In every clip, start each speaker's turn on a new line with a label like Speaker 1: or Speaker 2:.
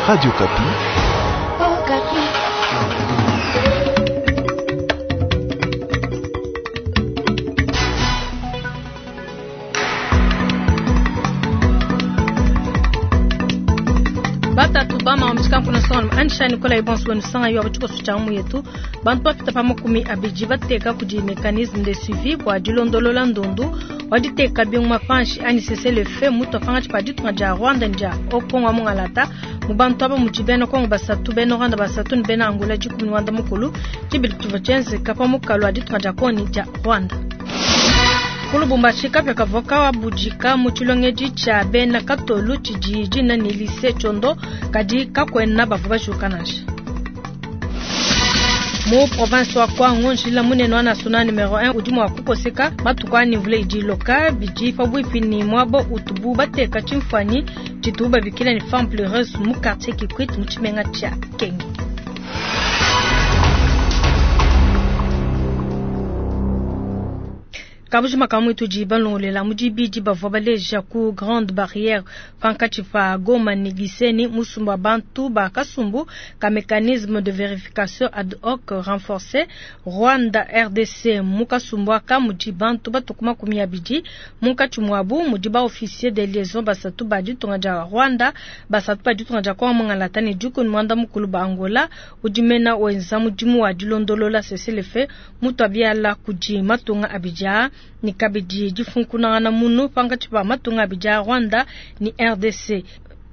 Speaker 1: Radio Okapi.
Speaker 2: Okapi.
Speaker 3: Batatu bama wamutshika sona anisha Nicolas Ibonso wenu sanga yo abatshikoso tshia mu yetu bantu bapita pa 20 bateka kudi mécanisme de suivi bua dilondolola ndundu waditeka binguma panshi ani cessez-le-feu mutu afanga tshipa ditunga dia Rwanda ndia okongo mungalata mu bantu aba mudi bena Kongo basatu bena Rwanda basatu ni bena Angola 10 Rwanda mukulu tshibili tshivua tshienzeka pa mukalu wa ditunga dia Kongo ni dia Rwanda. Ku Lubumbashi kapia kavua kabudika mu tshilongedi tshia bena Katolu tshidi dina ni lycée Tchondo kadi kakuena bavua bajuka nansha. Mu province wa Kwango njila munene wa national numero 1 udi mua kukoseka matuku ani mvula idi iloka bidi pabuipi ni muaba utubu bateka tshimfuanyi tshitubu babikila ni femme pleureuse mu quartier Kikwit mu tshimenga tshia Kenge. Kabujima ka mwitu di balongolela mu dibidi bavua baleja ku grande barrière pankatshi pa Goma ni Gisenyi musumba wa bantu ba kasumbu ka mécanisme de vérification ad hoc renforcé Rwanda RDC mu kasumbu aka mudi bantu batuku 20 munkatshi muabu mudi ba officier de liaison basatu ba ditunga dia Rwanda basatu ba ditunga dia Kongo mungalata ne 18 ba Angola udi mena wenza mudimu wa dilondolola cessez-le-feu mutu abiala kudi matunga abidja ni kabidi difunkunangana munu pankatshi pa matunga abidi a Rwanda ni RDC.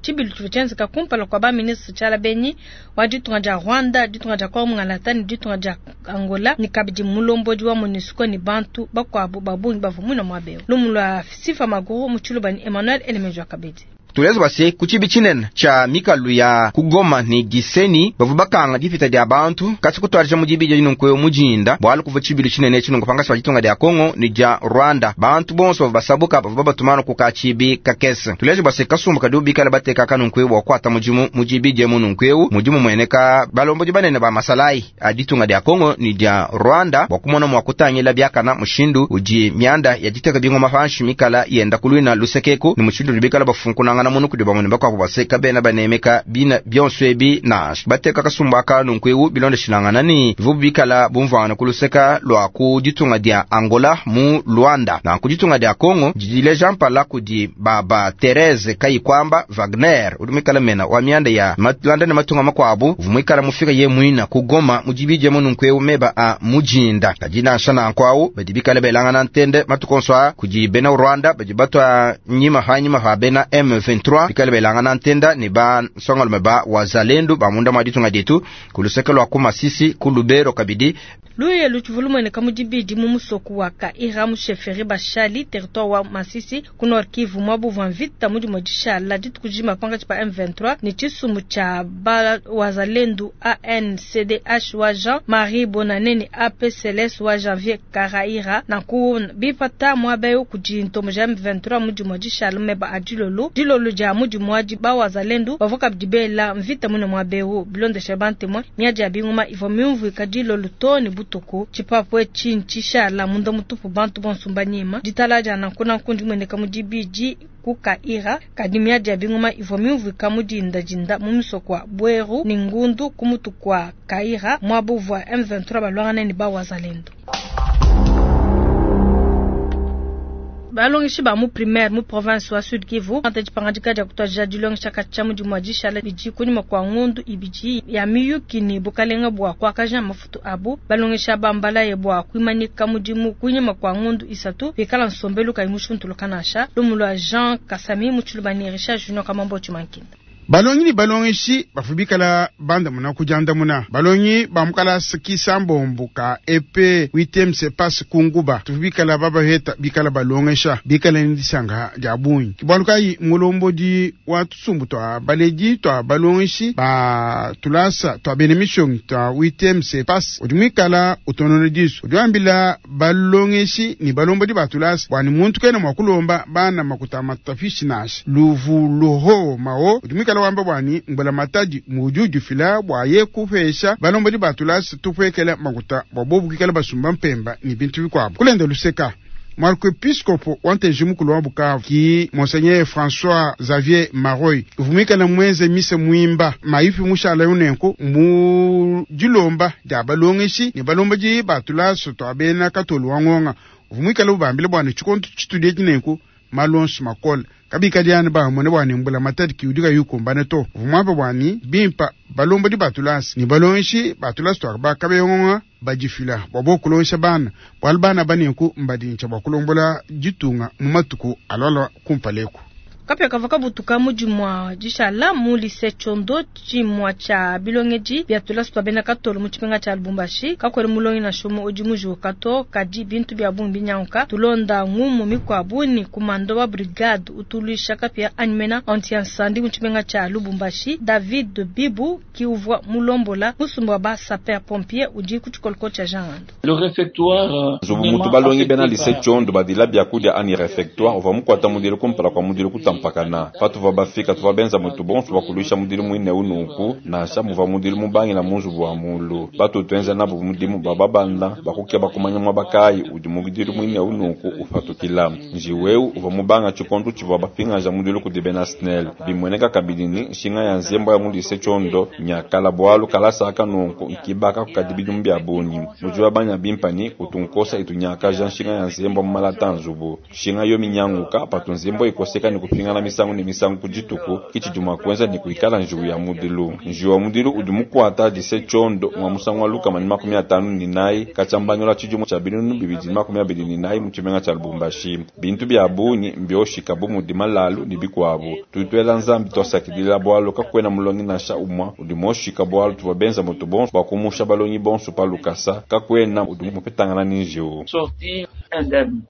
Speaker 3: Tshibilu tshivua tshienzeka kumpala kua baministre Tshiala Benyi wa ditunga dia Rwanda, ditunga dia Kongo mungalata ni ditunga dia Angola ni kabidi mulombodi wa MONUSCO ni bantu bakuabu ba bungi bavua muina muaba eu. Lumu lua Sifa Maguru mu Tshiluba ni Emmanuel Elemejo Kabedi.
Speaker 4: Tuleza base ku tshibi tshinene tsha mikalu ya ku Goma ni Gisenyi bavua bakanga dipita dia bantu kasi kutwadija mu dibidi dinunku mujinda bualu kuvua tshibilu tshinene tshinunku pankatshi pa ditunga dia Kongo ni dia Rwanda. Bantu bonso bavua basabuka bavua babatumana ku ka tshibi kakese. Tuleza base kasumbu kadi bikala bateka kanunku bua kuata mudimu mu dibidi mununku eu mudimu mueneka balombodi banene ba masalai a ditunga dia Kongo ni dia Rwanda bua kumona mua kutangila biakana mushindu udi mianda ya diteka bingoma panshi mikala yenda kuluina lusekeku ni mushindu udi bikala bafunkunanga na munu kudi bamwe bakuabu baseka bena banemeka bina bionso ebi nansha bateka kasumbu aka nunku eu bilondeshilangana ni bivu bikala bumvuangana ku luseka lua ku ditunga dia Angola mu Luanda na ku ditunga dia Kongo didileja mpala kudi baba Therese Kayikwamba Wagner udi muikala mena wa mianda ya Luanda ne matunga makuabu uvua muikala mufika ye muina ku Goma mu dibidi mununku eu meba a mujinda kadi nansha nanku awu badi bikala belangana ntende matuku onso a kudi bena Rwanda badi batwa nyima ha nyima ha bena M23 bikala belangana ntenda ne ba nsongalume ba wazalendu ba munda mwa ditunga dietu ku luseke lua ku Masisi ku Lubero kabidi.
Speaker 3: Luye lutshivua lumueneka mu dibidi mu musoko wa Kaira mu chefferie Bashali territoire wa Masisi ku Nord Kivu muaba uvua mvita mudi dishala dituku dijima pankatshi pa M23 ne tshisumbu tshia ba wazalendu ANCDH wa Jean Marie Bonane ne APCLS wa Janvier Karaira nanku bipata muaba eu kudi ntombo ja M23 mudi dishala meba a dilolo dilolo dia mudi muadi ba wazalendu bavua kabidi bela mvita mune muaba eu bilondesha bantemwe miadi ya bingoma ivua miumvuika dilolo to ne butuku tshipapu etshi ntshishala munda mutupu bantu bonso mbanyima ditala dia nanku nanku ndimueneka mu dibidi ku Kaira kadi miadi ya bingoma ivua miumvuika mu dindadinda mu misoko wa Bweru ni Ngundu ku mutu kwa Kaira muaba uvua M23 balwangana ne ba wazalendu. Balongeshi ba mu primaire mu province wa Sud Kivu anta dipangadika dia kutwadija dilongesha katshia mudimu wa dishala bidi kunyima kua ngondu ibidi ya miyuki ni bukalenga bua kuakaja mafutu abu. Balongesha bambalaye bua kuimanika mudimu kunyima kua ngondu isatu bikala nsombelu kayi mushuntuluka nansha. Lumu lua Jean Kasami mu Tshiluba ni Richard Junior Kamambo Tshimankinda.
Speaker 5: Balongi ni balongeshi bavua bikala bandamuna kudiandamuna. Balongi ba mukalasa kisambombo ka EP 8 sepas kunguba tuvua bikala babaheta bikala balongesha bikala ni disanga dia bungi. Bualu kayi mulombodi wa tusumbu twa baledi twa balongeshi ba tulasa twa bena mishongi twa 8 sepas udi muikala utonona disu udi wambila balongeshi ni balombodi ba tulasa bwani muntu kena mua kulomba bana makuta matafishi nansha luvu luho mao udi muikala wamba bwani mbula matadi mudi ufila bua ye kupesha balombodi ba tulasa tupwekela makuta bua bobu kuikala basumba mpemba ni bintu bikuabu kulenda luseka. Muarkiepiskopo wa ntenji mukulu wa Bukavu ki Monseigneur François Xavier Maroy uvumikana mwenze mise mwimba maifi mushala unenko mu dilomba dia balongeshi ne balombaji batula soto abena katolu wa ngonga uvumikala ubambile bwana chikonto chitudie chinenko malonso makola kabikadiana bamone bwana mbula matadi kiudika yukumbane to uvumwamba bwani bimpa balombodi batulasi ni balongeshi batulasi twakaba kabeyongonga badifila bwa bokulongesha bana bwalu bana banenku mbadintsha bwa kulombola ditunga mu matuku alwalwa kumpaleku.
Speaker 3: Kapya kava kabutuka mudi mwa dishala mu lycée Chondo tshimua tshia bilongedi bia tulasi twa bena katolo mu tshimenga tshia Lubumbashi kakwele mulongi na shomo udi mujuka to kadi bintu bia bungi binyanguka tulonda ngumu mikwabu ni kumando wa brigade utuluisha kapya animena anti-incendie mu tshimenga tshia Lubumbashi David Bibu kiuvwa mulombola musumba wa ba sapeur pompier udi ku tshikoloko tshia Jean Ngando.
Speaker 1: Le réfectoire
Speaker 6: nzubu mutu balongi bena lycée Chondo badila biakudia ani réfectoire uvua mukwata mudilo kumpala kwa mudilo kutampakana patuva bafika tuva benza mutu bonso bakuluisha mudilu mwine unuku nansha muva mudilu mubangila munzubu wa mulu batu twenza nabo mudimu bababanda bakukia bakumanya mwabakayi udi mudilu mwine unuku upatukila njiweu uva mubanga tshikondu tshivua bapingaja mudilu kudi bena SNEL bimweneka kabidi ni nshinga ya nzembo ya mu lycée Chondo nyakala bwalu kalasa nunku nkibaka kukadi bidimu bia bungi mudi wa banya bimpani kutunkosa itunyakaja nshinga ya nzembo mu malata nzubu nshinga yo minyanguka patu nzembo ikoseka ni kupingana misangu ni misangu kujituku kichijuma kwenza ni kuikala njiwu ya mudilu njiwu ya mudilu udi mukwata lycée Chondo mwa musangu wa lukama ni 54 kachambanyola chijumu cha 2024 mu tshimenga tsha Lubumbashi bintu bya bungi mbyoshika bu mudi malalu ni bikwabu tuitwela nzambi twasakidila bwalu kakwena mulongi nasha umwa udi moshika bwalu tuvua benza mutu bonso bakumusha balongi bonso pa lukasa kakwena udi mupetangana ni njiwu.
Speaker 1: Sortir indemne.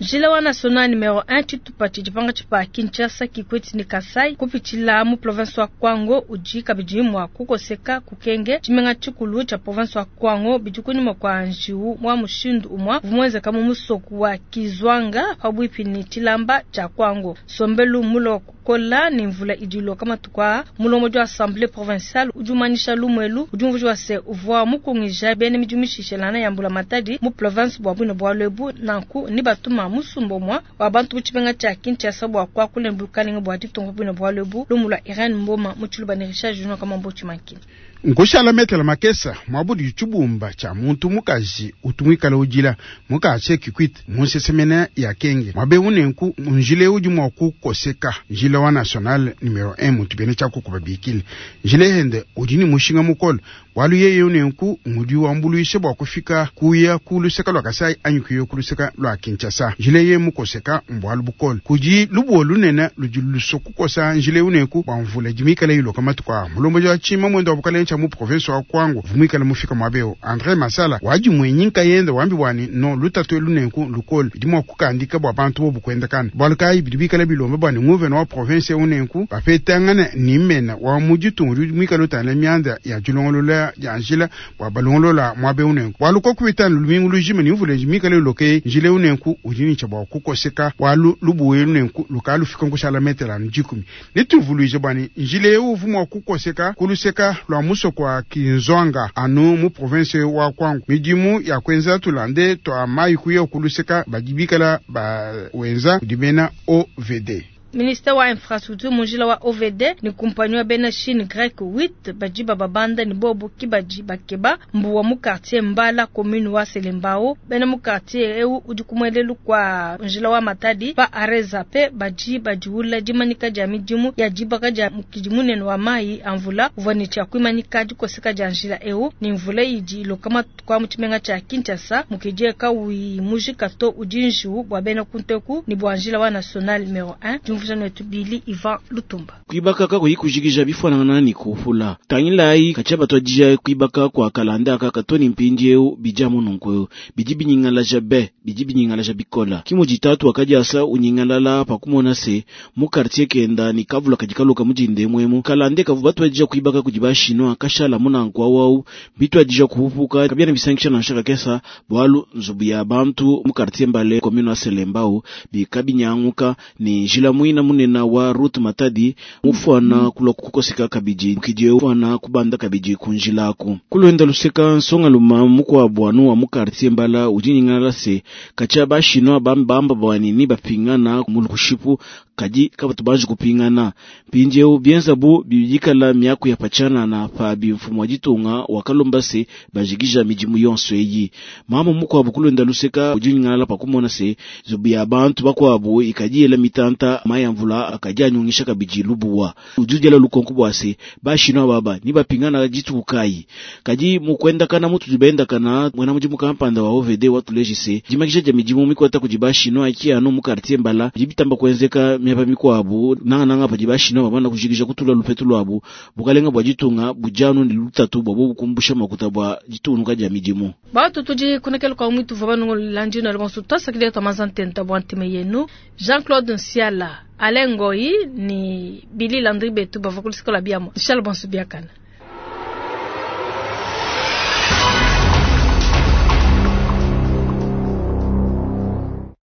Speaker 3: Njila wa national numero 1 tshitupa tshidipanga tshipa Kinshasa Kikwete ni Kasai kupitshila mu province wa Kwango udi kabidi mua kukoseka kukenge tshimenga tshikulu tsha province wa Kwango bidi kunyuma kwa njiwu wa mushindu umwa vumwenzeka mu musoku wa Kizwanga pabwipi ni tshilamba tsha Kwango sombelu mulo kukola ni mvula idilo kama tukwa mulomo jwa assemblée provinciale udi umanisha lumwelu udi umvuji wa se uvua mukungija bene midimishishelana ya mbula matadi mu province bwa bwino bwa lwebu nanku ni batuma musumbo mwa wa bantu butshimenga tsha Kinshasa bwa kwa kule bukalinga bwa ditongo bwino bwa lwebu lumula Irene Mboma mutshuluba ni Richard Junior kama mbochi mankini.
Speaker 5: Nkushala metela makesa mwabudi tshibumba tsha muntu mukaji utumwikala ujila mukache Kikwit munsesemene ya kenge mwabe unenku njile udi mwa kukoseka njile wa national numero 1 muntu bene tsha kukuba bikile njile hende udi ni mushinga mukolo walu yeye unenku ngudi wambuluishe bwa kufika kuya kuluseka lwa Kasai anyi kuya kuluseka lwa Kinshasa njile ye mukoseka mbwalu bukolo kudi lubuo lunene ludi lusokukosa njile unenku bwa mvula dimikala iloka matuku mulombo wa chima mwendo wa bukale mu province wa Kwango vumwikala mufika mwabeo Andre Masala waji mwenyinka yenda wambi bwani no lutatu lunenku lukolo bidi mwa kukandika bwa bantu bo bukwendakana bwalukayi bidi bikala bilomba bwani nguvena wa province unenku bapetangana nimena wa mujitungu mwikala utana myanda ya julongolola ya njila bwa balongolola mwabe unenku bwaluko kubitana lumingu lujima ni mvula mikala loke njile unenku ujini cha bwa kukoseka bwalu lubuwe unenku lukalu fika nkushala metela njikumi nituvuluije bwani njile uvumwa kukoseka kuluseka lwa muso kwa Kinzwanga anu mu province wa Kwango midimu ya kwenza tulande twa mayi kuya kuluseka badibikala ba wenza dibena OVD.
Speaker 3: Ministre wa infrastructure munjila wa OVD ni kumpanyi wa bena Chine grec 8 bajiba babanda ni bobu kibaji bakeba mbuwa mu quartier Mbala commune wa Selembao bena mu quartier eu udi kumwelelu kwa njila wa Matadi pa areza pe baji bajiula dimanika dia midimu ya jibaka dia mukidi wa mai amvula uvani cha kuimanika dikoseka dia njila eu ni mvula idi lokama kwa mutshimenga cha Kinshasa mukidie kawi mujika to udinju bwa bena kunteku ni bwa njila wa national numero 1 Bili Ivan Lutumba.
Speaker 7: Kuibaka kako ikujikija bifanana ni kufula. Tangilai kachaba twajija kuibaka kwa kalanda aka katoni mpindi eu bija mununku biji binyingala jabe biji binyingala jabikola. Kimo jitatu akaja asa unyingalala pakumona se mu quartier kenda ni kavula kajikaluka mujinde mwemu. Kalande kavu batwajija kuibaka kujibashino akashala munanku awau bitwajija kuhupuka kabia na bisankisha na nshaka kesa bwalu nzubu ya bantu mu quartier Mbale commune wa Selembao bikabinyanguka ni njila Muina munena wa route Matadi mufuana kulwa kukoseka kabidi mukidi fuana kubanda kabidi kunjilaku. Kulwenda luseka nsonga luma mukwabu anu wa mu quartier Mbala udi nyingala se kacha bashinwa bambamba bwani ni bapingana mu lushipu kadi kabatu banji kupingana. Mpindieu bienza bu bidikala miaku ya pachana na pa bimfumu wa ditunga wakalomba se bajikija midimu yonso eyi. Mama mukwabu kulwenda luseka udi nyingala pakumona se zubu ya bantu bakwabu ikadiela mitanta maya mvula akadi anyungisha kabidi lubuwa. Udi udiela lukonko bwa se bashinwa baba ni bapingana dituku kayi. Kadi mukwendakana mutu bendakana mwana mudimu kampanda wa OVD watuleji se dimakisha dia midimu mikwata kudi bashinwa iki anu mu quartier Mbala dibitamba kwenzeka miaba mikwabu nanga nanga padi bashinwa babana kujikija kutula lupetu lwabu bukalenga bwa ditunga bujanu ni lutatu bwa bukumbusha makuta bwa ditunuka dia midimu.
Speaker 3: Batu tudi kunekela kwa mwitu vwa banungo landino alonso tasakile tamazantenta bwa ntime yenu Jean-Claude Nsiala Alain Ngoyi ni Billy Landry Betu bava kulisikola biamo. Charles Bonsu biakana.